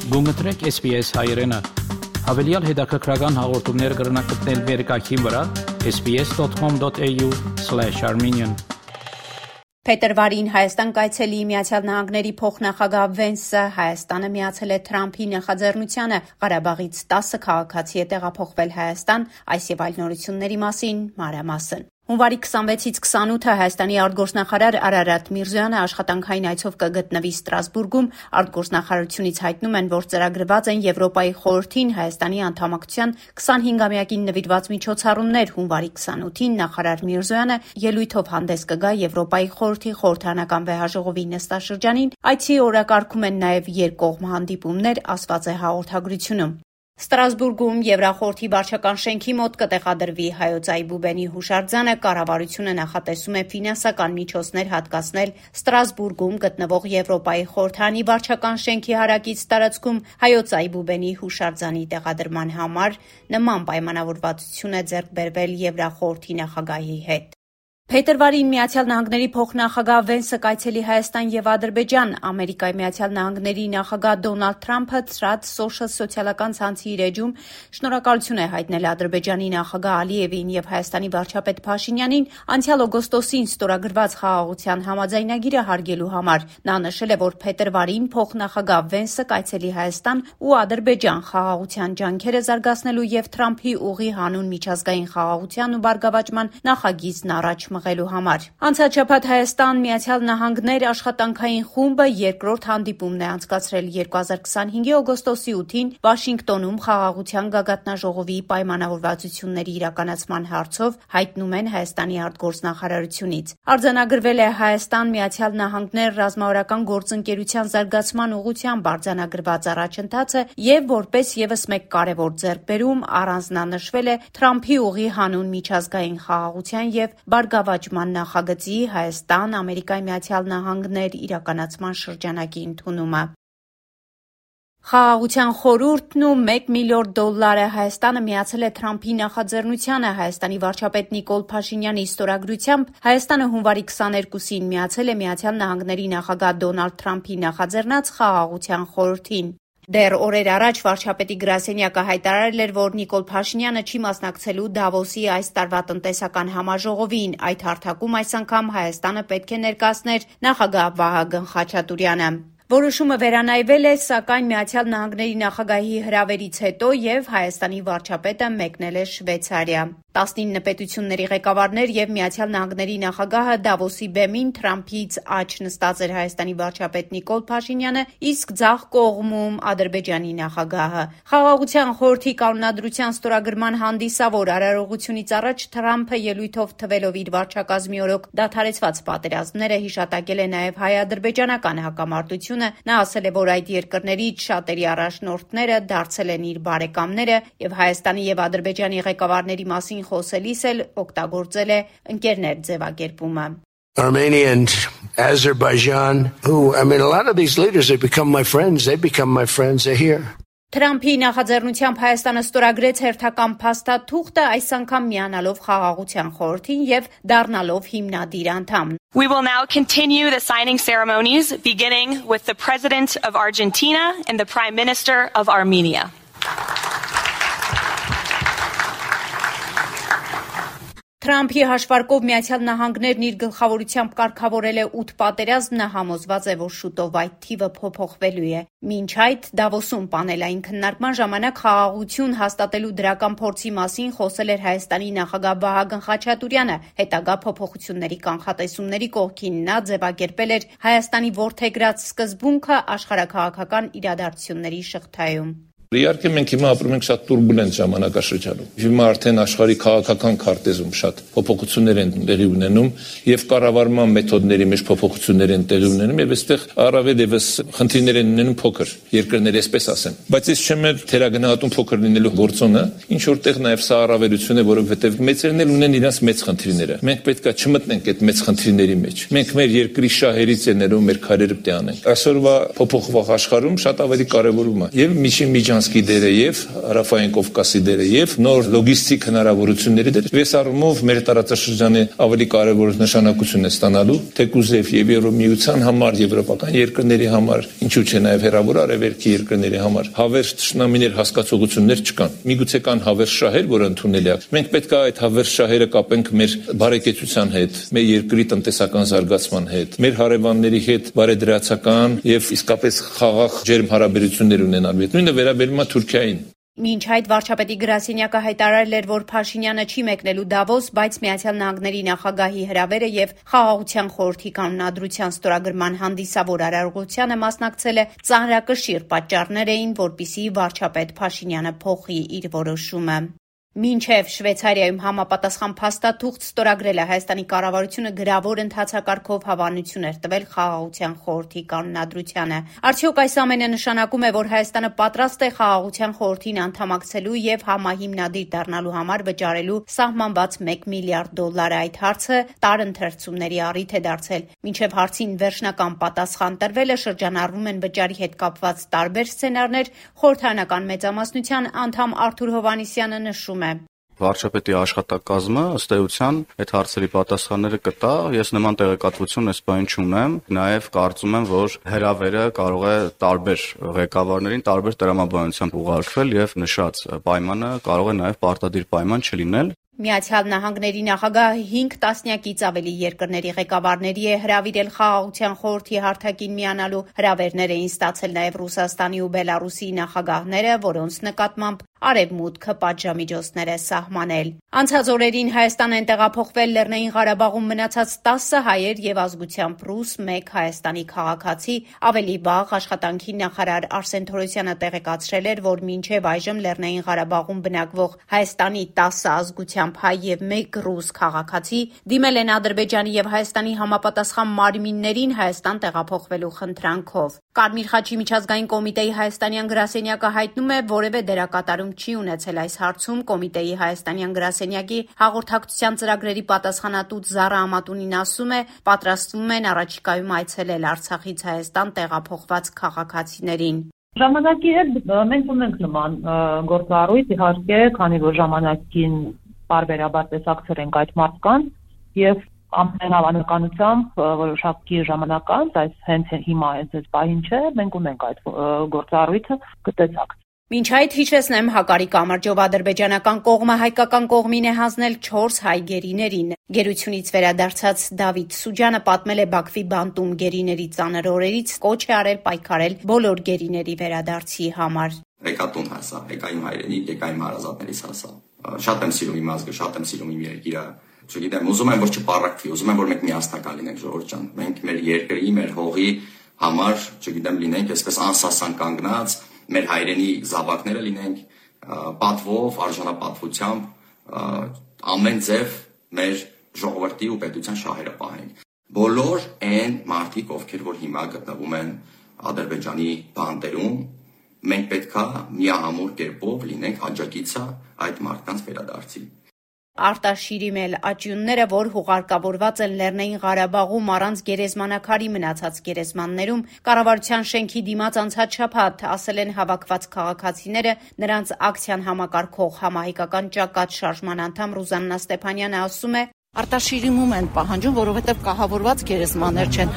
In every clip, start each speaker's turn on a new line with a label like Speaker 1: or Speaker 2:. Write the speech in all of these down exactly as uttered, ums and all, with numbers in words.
Speaker 1: Գումտրեք S B S հայրենը։ Հավելյալ հետաքրքրական հաղորդումներ կգրնակցնել վերկայքին վրա S B S dot com dot A U slash Armenian։
Speaker 2: Փետրվարին Հայաստան կայցելի Միացյալ Նահանգների փոխնախագահ Վենսը Հայաստանը միացել է Թրամփի նախաձեռնությանը Ղարաբաղից տասը քաղաքացի է տեղափոխվել Հայաստան, այս եւ այլ նորությունների մասին մանրամասն։ Հունվարի քսանվեցից քսանութը Հայաստանի արտգործնախարար Արարատ Միրզոյանը աշխատանքային այցով կգտնվի Ստրասբուրգում։ Արտգործնախարարությունից հայտնում են, որ ծրագրված են Եվրոպայի խորհրդին Հայաստանի անդամակցության քսանհինգամյակին նվիրված միջոցառումներ։ Հունվարի քսանութին նախարար Միրզոյանը ելույթով հանդես կգա Եվրոպայի խորհրդի խորհրդարանական վեհաժողովի նստաշրջանին։ Այցի օրակարգում են նաև երկկողմ հանդիպումներ, ասված է հաղորդագրությունում։ Ստրասբուրգում Եվրախորհրդի վարչական շենքի մոտ կտեղադրվի Հայոց Այբուբենի հուշարձանը։ Կառավարությունը նախատեսում է ֆինանսական միջոցներ հատկացնել Ստրասբուրգում գտնվող Եվրոպայի խորհրդանի վարչական շենքի հարակից տարածքում Հայոց Այբուբենի հուշարձանի տեղադրման համար։ Նման պայմանավորվածություն է ձեռք բերվել Եվրախորհրդի նախագահի հետ։ Փետրվարին Միացյալ Նահանգների փոխնախագահ Վենսը կայցելի Հայաստան եւ Ադրբեջան։ Ամերիկայի Միացյալ Նահանգների նախագահ Դոնալդ Թրամփը Truth Social սոցիալական ցանցի իր էջում շնորհակալություն է հայտնել Ադրբեջանի նախագահ Ալիևին եւ Հայաստանի վարչապետ Փաշինյանին անցյալ օգոստոսին ստորագրված խաղաղության համաձայնագիրը հարգելու համար։ Նա նշել է, որ փետրվարին փոխնախագահ Վենսը կայցելի Հայաստան ու Ադրբեջան խաղաղության ջանքերը զարգացնելու եւ Թրամփի ուղի հանուն միջազգային խաղաղության ու բարգավաճման նախագիծն առաջ մղելու համար։ Անցած շաբաթ Հայաստան Միացյալ Նահանգներ աշխատանքային խումբը երկրորդ հանդիպումն է անցկացրել երկու հազար քսանհինգի օգոստոսի ութին Վաշինգտոնում խաղաղության գագաթնաժողովի պայմանավորվածությունների իրականացման հարցով, հայտնում են Հայաստանի արտգործնախարարությունից։ Արձանագրվել է Հայաստան Միացյալ Նահանգներ ռազմավարական գործընկերության զարգացման ուղղությամբ արձանագրված առաջընթացը եւ որպես եւս մեկ կարեւոր ձեռքբերում առանձնանշվել է Թրամփի ուղի հանուն միջազգային խաղաղության եւ բարգավաճման նախագծի Հայաստան, Ամերիկայի Միացյալ Նահանգներ իրականացման շրջանակի ընդունումը։ Խաղաղության խորհուրդն ու մեկ միլիարդ դոլարը Հայաստանը միացել է Թրամփի նախաձեռնությանը։ Հայաստանի վարչապետ Նիկոլ Փաշինյանի ստորագրությամբ Հայաստանը հունվարի քսաներկուսին միացել է Միացյալ Նահանգների նախագահ Դոնալդ Թրամփի նախաձեռնած խաղաղության խորհրդին։ Դեռ օրեր առաջ վարչապետի գրասենյակը հայտարարել էր, որ Նիկոլ Փաշինյանը չի մասնակցելու Դավոսի այս տարվա տնտեսական համաժողովին։ Այդ հարթակում այս անգամ Հայաստանը պետք է ներկայացներ նախագահ Վահագն Խաչատուրյանը։ Որոշումը վերանայվել է, սակայն Միացյալ Նահանգների նախագահի հրավերից հետո եւ Հայաստանի վարչապետը մեկնել է Շվեյցարիա։ տասնինը պետությունների ղեկավարներ եւ Միացյալ Նահանգների նախագահը Դավոսի բեմին Թրամփից աջ նստած էր Հայաստանի վարչապետ Նիկոլ Փաշինյանը, իսկ ձախ կողմում Ադրբեջանի նախագահը։ Խաղաղության խորհրդի կանոնադրության ստորագրման հանդիսավոր արարողությունից առաջ Թրամփը ելույթով թվելով իր վարչակազմի օրոք դադարեցված պատերազմները հիշատակել է նաեւ հայ-ադրբեջանական հակամարտությունը։ Նա ասել է, որ այդ երկրներից շատերի առաջնորդները դարձել են իր բարեկամները եւ Հայաստանի եւ Ադրբեջանի ղեկավարների մասին խոսելիս էլ օգտագործել է ընկերներ ձևակերպումը։
Speaker 3: Armenia and Azerbaijan, who, I mean, a lot of these leaders, they become my friends, they become my friends, they're here.
Speaker 2: Թրամփի նախաձեռնությամբ Հայաստանը ստորագրեց հերթական փաստաթուղթը, այս անգամ միանալով խաղաղության խորհրդին եւ դառնալով հիմնադիր անդամ։
Speaker 4: We will now continue the signing ceremonies, beginning with the President of Argentina and the Prime Minister of Armenia.
Speaker 2: Թրամփի հաշվարկով Միացյալ Նահանգներն իր գլխավորությամբ կարգավորել է ութ պատերազմ, նա համոզված է, որ շուտով այդ թիվը փոփոխվելու է։ Մինչ այդ Դավոսում պանելային քննարկման ժամանակ խաղաղություն հաստատելու դրական փորձի մասին խոսել էր Հայաստանի նախագահ Վահագն Խաչատուրյանը։ Հետագա փոփոխությունների կանխատեսումների կողքին նա ձևակերպել էր Հայաստանի որդեգրած սկզբունքը աշխարհաքաղաքական իրադարձությունների շղթայում։
Speaker 5: Իհարկե մենք հիմա ապրում ենք շատ տուրբուլենտ ժամանակաշրջանում։ Հիմա արդեն աշխարհի քաղաքական քարտեզում շատ փոփոխություններ են տեղի ունենում եւ կառավարման մեթոդների մեջ փոփոխություններ են տեղի ունենում եւ այստեղ առավել եւս խնդիրներ են ունենում փոքր երկրներ, այսպես ասեմ։ Բայց ես չեմ էլ թերագնահատում փոքր լինելու գործոնը, ինչ որտեղ նաեւ սա առավելություն է, որովհետեւ մեծերն էլ ունեն իրենց մեծ խնդիրները։ Մենք պետքա չմտնենք այդ մեծ խնդիրների մեջ։ Մենք մեր երկրի շահերից է ներում մեր քարերը պետք է անենք։ Այսօրվա փոփոխվող աշխարհում շատ ավելի կարեւորում է եւ միջին միջան Լիսիչանսկի դերը եւ Հարավային Կովկասի դերը եւ նոր լոգիստիկ հնարավորությունների դերը։ Այս առումով մեր տարածաշրջանի ավելի կարևոր նշանակություն է ստանալու թեկուզև եւ Եվրոմիության համար, եվրոպական երկրների համար, ինչու՞ չէ նաեւ հերավոր արևելքի երկրների համար հավերժ ճշնամիներ հասկացողություններ չկան։ Միգուցե կան հավերժ շահեր, որը ընդունելի է։ Մենք պետք է այդ հավերժ շահերը կապենք մեր բարեկեցության հետ, մեր երկրի տնտեսական զարգացման հետ, մեր հարևանների հետ բարեդրացական եւ իսկապես խաղաղ ջերմ հարաբերություններ ունենալու հետ։ Նույնը վերաբերում է Թուրքիային։
Speaker 2: Մինչ այդ վարչապետի գրասենյակը հայտարարել էր, որ Փաշինյանը չի մեկնելու Դավոս, բայց Միացյալ Նահանգների նախագահի հրավերը եւ Խաղաղության խորհրդի կանոնադրության ստորագրման հանդիսավոր արարողությանը մասնակցել է ծանրակշիռ պատճառներ էին, որպիսի վարչապետ Փաշինյանը փոխի իր որոշումը։ Մինչև Շվեյցարիայում համապատասխան փաստաթուղթ ստորագրել է Հայաստանի կառավարությունը գրավոր ընթացակարգով հավանություն էր տվել Խաղաղության խորհրդի կանոնադրությանը։ Արդյոք այս ամենը նշանակում է, որ Հայաստանը պատրաստ է Խաղաղության խորհրդին անդամակցելու եւ համահիմնադիր դառնալու համար վճարելու սահմանված մեկ միլիարդ դոլար։ Այդ հարցը տարընթերցումների առիթ է դարձել։ Մինչև հարցին վերջնական պատասխան տրվելը շրջանառվում են վճարի հետ կապված տարբեր սցենարներ։ Խորհրդարանական մեծամասնության անդամ Արթուր Հովհաննիսյանը նշում է.
Speaker 6: Վարչապետի աշխատակազմը ըստ էության այդ հարցերի պատասխանները կտա։ Ես նման տեղեկատվություն այս բան չունեմ։ Նաև կարծում եմ, որ հրավերը կարող է տարբեր ղեկավարներին տարբեր տրամաբանությամբ ուղարկվել եւ նշած պայմանը կարող է նաև պարտադիր պայման չլինել։
Speaker 2: Միացյալ Նահանգների նախագահը հինգ տասնյակից ավելի երկրների ղեկավարների է հրավիրել Խաղաղության խորհրդի հարթակին միանալու։ Հրավերներ էին ստացել նաև Ռուսաստանի ու Բելարուսի նախագահները, որոնց նկատմամբ Արևմուտքը պատժամիջոցներ է սահմանել։ Անցած օրերին Հայաստան են տեղափոխվել Լեռնային Ղարաբաղում մնացած տասը հայեր եւ ազգությամբ ռուս, մեկ Հայաստանի քաղաքացի։ Ավելի վաղ աշխատանքի նախարար Արսեն Թորոսյանը տեղեկացրել էր, որ մինչև այժմ Լեռնային Ղարաբաղում բնակվող Հայաստանի տասը ազգությամբ հայ եւ մեկ ռուս քաղաքացի դիմել են Ադրբեջանի եւ Հայաստանի համապատասխան մարմիններին Հայաստան տեղափոխվելու խնդրանքով։ Կարմիր խաչի միջազգային կոմիտեի հայաստանյան գրասենյակը հայտնում է, որևէ դերակատարում չի ունեցել այս հարցում։ Կոմիտեի հայաստանյան գրասենյակի հաղորդակցության ծրագրերի պատասխանատու Զարա Ամատունին ասում է, պատրաստվում են առաջիկայում այցելել Արցախից Հայաստան տեղափոխված քաղաքացիներին։
Speaker 7: Ժամանակի հետ մենք ունենք նման գործառույթ, իհարկե, քանի որ ժամանակին բարբերաբար տեսակցել ենք այդ մարդկանց եւ ամեն հավանականությամբ որոշակի ժամանակ անց, այս հենց հիմա այս պահին չէ, մենք ունենք այդ գործառույթը կտեսակ։
Speaker 2: Մինչ այդ հիշեցնեմ, Հակարի կամրջով ադրբեջանական կողմը հայկական կողմին է հանձնել չորս հայ գերիներին։ Գերությունից վերադարձած Դավիթ Սուջանը պատմել է Բաքվի բանտում գերիների ծանր օրերից, կոչ է արել պայքարել բոլոր գերիների վերադարձի համար։
Speaker 8: Եկա տուն հասա, եկա իմ հայրենիք, եկա իմ հարազատներից հասա։ Շատ եմ սիրում իմ ազգը, շատ եմ սիրում իմ երկիրը։ Չգիտեմ, ուզում եմ որ չպառակվի, ուզում եմ որ մենք միասնական լինենք, ժողովուրդ ջան։ Մենք մեր երկրի, մեր հողի համար, չգիտեմ, լինենք այսպես անսասան կանգնած, մեր հայրենի զավակները լինենք պատվով, արժանապատվությամբ, ամեն ձև մեր ժողովրդի ու պետության շահերը պահենք։ Բոլոր այն մարդիկ, ովքեր որ հիմա գտնվում են Ադրբեջանի բանտերում, մենք պետք է միահամուռ կերպով լինենք աջակիցը այդ մարդկանց վերադարձի։
Speaker 2: Արտաշիրի մել աճյունները, որ հուղարկավորված են Լեռնային Ղարաբաղում առանց գերեզմանակարի մնացած գերեզմաններում, կառավարության շենքի դիմաց անցած շաբաթ ասել են հավաքված քաղաքացիները, նրանց ակցիան համակարգող համահայկական ճակատ շարժման անդամ Ռուզաննա Ստեփանյանը ասում է.
Speaker 9: Արտաշիրիմում են պահանջում, որովհետև կահավորված գերեզմաններ չեն։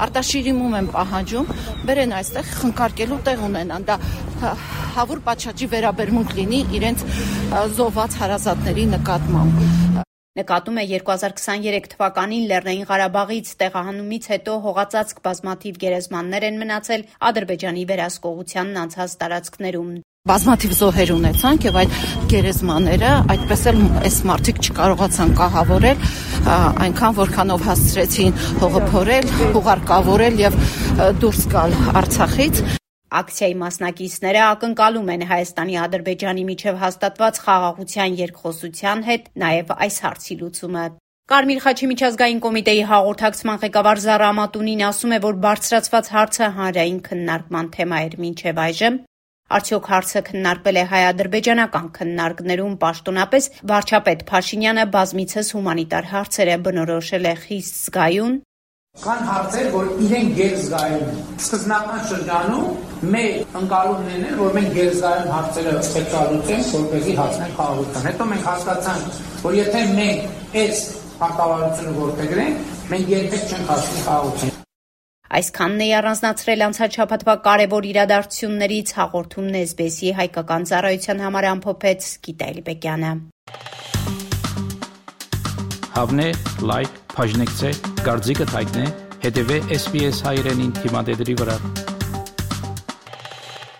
Speaker 9: Արտաշիրիմում են պահանջում, բերեն այստեղ խնկարկելու տեղ ունենան, դա հավուր պատշաճի վերաբերմունք լինի իրենց զոհված հարազատների նկատմամբ։
Speaker 2: Նկատում է երկու հազար քսաներեք թվականին Լեռնային Ղարաբաղից տեղահանումից հետո հողածածկ բազմաթիվ գերեզմաններ են մնացել Ադրբեջանի վերահսկողությանն անցած տարածքներում։
Speaker 9: Բազմաթիվ զոհեր ունեցանք եւ այդ գերեզմանները այդպես էլ այս մարդիկ չկարողացան կահավորել, այնքան որքանով հասցրեցին հողը փորել, հուղարկավորել եւ դուրս գալ Արցախից։
Speaker 2: Ակցիայի մասնակիցները ակնկալում են Հայաստանի Ադրբեջանի միջև հաստատված խաղաղության երկխոսության հետ նաև այս հարցի լուծումը։ Կարմիր խաչի միջազգային կոմիտեի հաղորդակցման ղեկավար Զարա Ամատունին ասում է, որ բարձրացված հարցը հանրային քննարկման թեմա էր մինչև այժմ։ Արդյոք հարցը քննարկվել է հայ-ադրբեջանական քննարկներում պաշտոնապես վարչապետ Փաշինյանը բազմիցս հումանիտար հարցերը բնորոշել է խիստ զգայուն։
Speaker 10: Կան հարցեր, որ իրեն գերզգայուն են։ Սկզբնական շրջանում մեր ընկալումներն են, որ մենք գերզգայուն հարցերը պետք է լուծենք, որպեսզի հասնենք խաղաղության։ Հետո մենք հասկացանք, որ եթե մենք այս հարկավարությունը որդեգրենք, մենք երբեք չենք հասնի խաղաղության։
Speaker 2: Այսքանն է առանձնացրել անցած շաբաթվա կարևոր իրադարձություններից հաղորդումն էս բի էսի հայկական ծառայության համար ամփոփեց Գիտա Էլիբեկյանը։
Speaker 1: Հավնե, լայք, բաժնեկցե, դարձիկը թայտնե, հետևե էս բի էս հայրենին թիմադեդրի վրա։